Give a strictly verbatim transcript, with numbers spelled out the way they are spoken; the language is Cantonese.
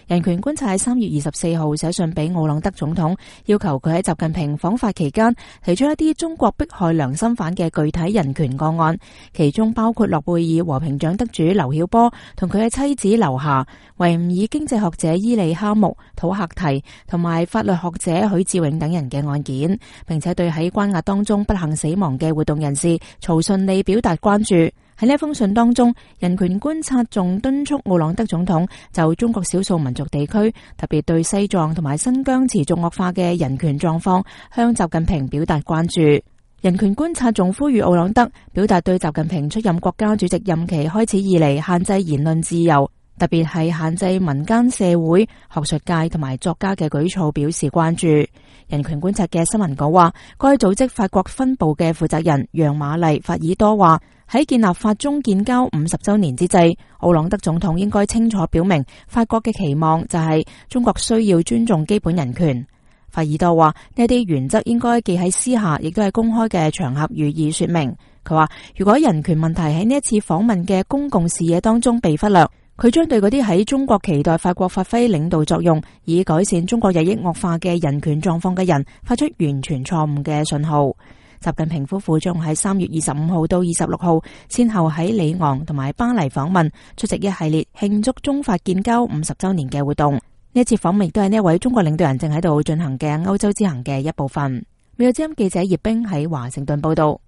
人權觀察喺三月二十四號寫信俾奧朗德總統，要求佢喺習近平訪法期間提出一啲中國迫害良心犯嘅具體人權個案，其中包括諾貝爾和平獎得主劉曉波同佢嘅妻子劉霞、維吾爾經濟學者伊利哈木、土克提同埋法律學者許志永等人嘅案件，並且對喺關押當中不幸死亡嘅活動人士曹順利表達關注。喺呢封信當中，人權觀察仲敦促奧朗德總統就中國少數民族地區，特別對西藏同埋新疆持續惡化嘅人權狀況，向習近平表達關注。人權觀察仲呼籲奧朗德表達對習近平出任國家主席任期開始以嚟限制言論自由，特別係限制民間社會、學術界同埋作家嘅舉措表示關注。人權觀察嘅新聞稿話，該組織法國分部嘅負責人楊瑪麗法爾多話，喺建立法中建交五十周年之際，奧朗德總統應該清楚表明法國嘅期望就係中國需要尊重基本人權。法爾多話，呢啲原則應該既喺私下，亦都係公開嘅場合予以說明。佢話，如果人權問題喺呢一次訪問嘅公共視野當中被忽略，佢將對嗰啲喺中國期待法國發揮領導作用，以改善中國日益惡化嘅人權狀況嘅人發出完全錯誤嘅信號。習近平夫婦將喺三月二十五號到二十六號先後喺里昂同埋巴黎訪問，出席一系列慶祝中法建交五十周年嘅活動。呢一次訪問亦都係呢一位中國領導人正喺度進行嘅歐洲之行嘅一部分。美國之音記者葉冰喺華盛頓報道。